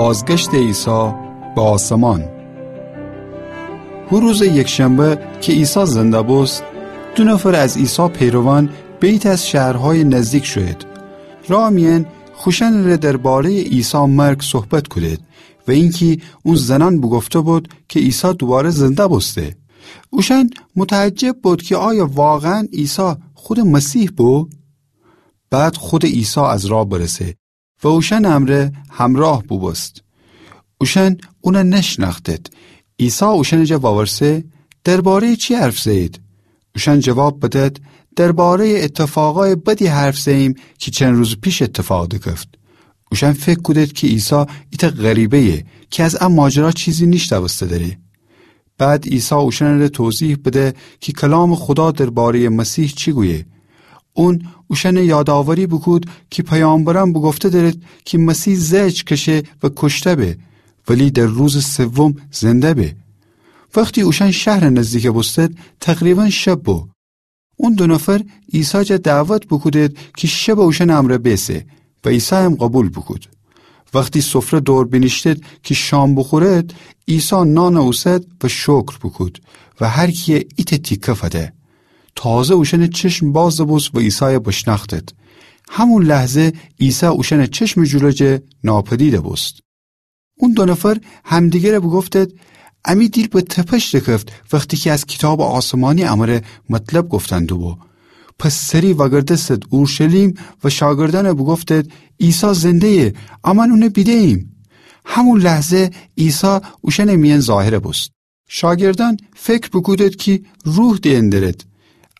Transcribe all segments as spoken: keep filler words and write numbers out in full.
بازگشتٚ عیسی به آسمان. هو روزٚ یکشنبه کی عیسی زنده بوست، دو نفر از عیسی پیروان به ایتأ از شهرهایٚ نزدیک شویید. راه میأن خوشأنٚره درباره‌یٚ عیسی مرگ صحبت کودید و اینکی اون زنأن بوگفته بود کی عیسی دوواره زنده بوسته. اوشأن متعجب بود کی آیا واقعاً عیسی خودٚ مسیح بو؟ بعد خودٚ عیسی از راه برسه و اوشأنٚ امرأ همراه بوبوست. اوشأن اونَ نشنأختید. عیسی اوشأنٚ جا وورسه: درباره‌یٚ چی حرف زه‌یید؟ اوشأن جواب بدید: درباره‌یٚ اتفاقأیٚ بدی حرف زه‌ییم کی چند روزٚ پیش اتفاق دکفت. اوشأن فکر کودید کی عیسی ایتأ غریبه‌یه کی از ا ماجرا چیزی نیشنوسته دأره. بعد عیسی اوشأنٚره توضیح بده کی کلامٚ خودا درباره‌یٚ مسیح چی گویه. اون اوشأنَ یادآوری بوکود کی پیامبرأن بوگفته دأرید کی مسیح زهج کشه و کشته به، ولی در روزٚ سوم زنده به. وختی اوشأن شهرٚ نزدیک بوستید، تقریباً شب بو. اون دو نفر عیسی جا دعوت بوکودید کی شبَ اوشأنٚ امرأ بیسه و عیسی هم قوبیل بوکود. وختی سفره دور بینیشتید کی شام بوخورید، عیسی نانَ اوسد و شکر بوکود و هر کیَ ایتأ تیکه فده. تازه اوشأنٚ چشم باز بوست و عیسایَ بشنأختید. همون لحظه عیسی اوشأنٚ چشمٚ جلو جه ناپدید بوست. اون دو نفر همدیگرَ بوگفتید: امی دیل به تپش دکفت وختی کی از کیتابٚ آسمانی امره مطلب گفتن دوبو. پس سری وأگردستید اورشلیم و شاگردأنَ بوگفتید: عیسی زنده‌یه، امأن اونَ بیده‌ییم. همون لحظه عیسی اوشأنٚ میأن ظاهر بوست. شاگردأن فکر بوکودید کی روح دئن دأرید.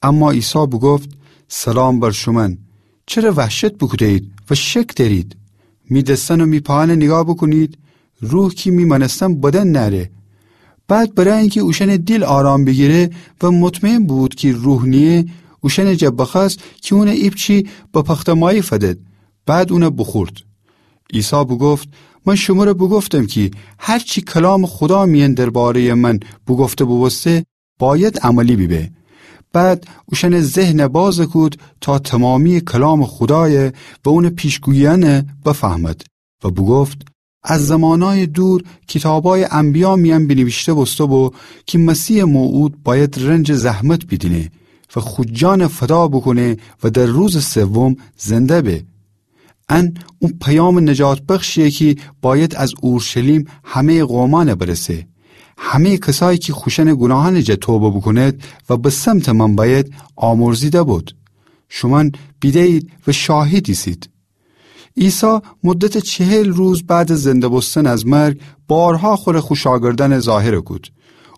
اما عیسی بوگفت: سلام بر شومأن. چره وحشت بوکوده‌یید و شک دأرید؟ می دسأن و می پاهأنَ نیگاه بوکونید. روح کی می مأنستن بدن نأره. بعد برای اینکی اوشأنٚ دیل آرام بیگیره و مطمئن بوبود کی روح نییه، اوشأنٚ جا بخوأست کی اونَ ایپچی به پخته‌مایی فدید. بعد اونَ بوخورد. عیسی بوگفت: من شمره بوگفتم کی هر چی کلامٚ خودا میأن درباره‌یٚ من بوگفته بوبوسته، بأید عملی بیبه. بعد اوشأنٚ ذهنَ باز کود تا تمامییٚ کلامٚ خودایَ و اونٚ پیشگوییأنَ بفهمد و بوگفت: از زمانأیٚ دور کیتابأیٚ انبیا میأن بینیویشته بوسته بو کی مسیحٚ موعود بأید رنج و زحمت بیدینه و خو جانَ فدا بوکونه و در روزٚ سوم زنده به. ان او پیامٚ نجات بخشییه کی بأید از اورشلیم همه‌یٚ قومأنَ برسه. همه‌یٚ کسایی کی خوشأنٚ گوناهأنٚ جا توبه بوکونید و به سمتٚ من بأید، آمرزیده بود. شومأن بیده‌یید و شاهد ایسید. عیسی مدتٚ چهل روز بعد از زنده بوستن از مرگ بارها خوره خو شاگردأنَ ظاهر کود.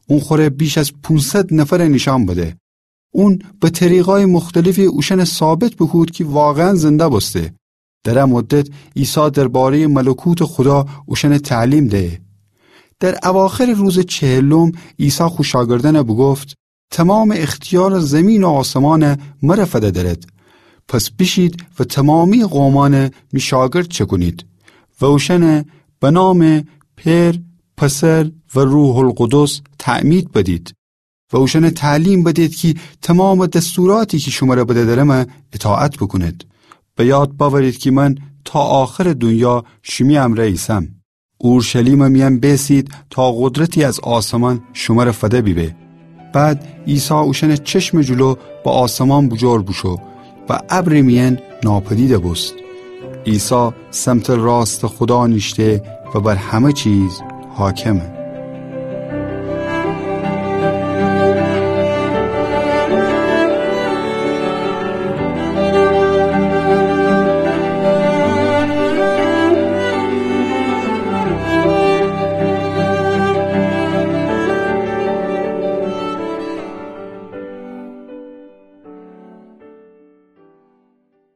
اون خوره بیش از پونصد نفرَ نیشأن بده. اون به طریقأیٚ مختلفی اوشأنَ ثابت بوکود کی واقعاً زنده بوسته. در ا مدت عیسی درباره‌یٚ ملکوتٚ خودا اوشأنَ تعلیم دهه. در اواخرٚ روزٚ چهلم عیسی خو شاگردأنَ بوگفت: تمامٚ اختیارٚ زیمین و آسمانَ مره فده دأرید. پس بیشید و تمامییٚ قومأنَ می شاگرد چکونید و اوشأنَ به نامٚ پئر، پسر و روح‌القدس تعمید بدید. و اوشأنَ تعلیم بدید کی تمامٚ دستوراتی کی شومره بده دأرمه اطاعت بوکونید. به یاد بأورید کی من تا آخرٚ دونیا شیمی امرأ ایسم. اورشلیمٚ میأن بیسید تا قدرتی از آسمان شومره فده بیبه. بعد عیسی اوشأنٚ چشمٚ جلو به آسمان بوجور بوشو و ابرٚ میأن ناپدید بوست. عیسی سمتٚ راستٚ خودا نیشته و بر همه چیز حاکمه.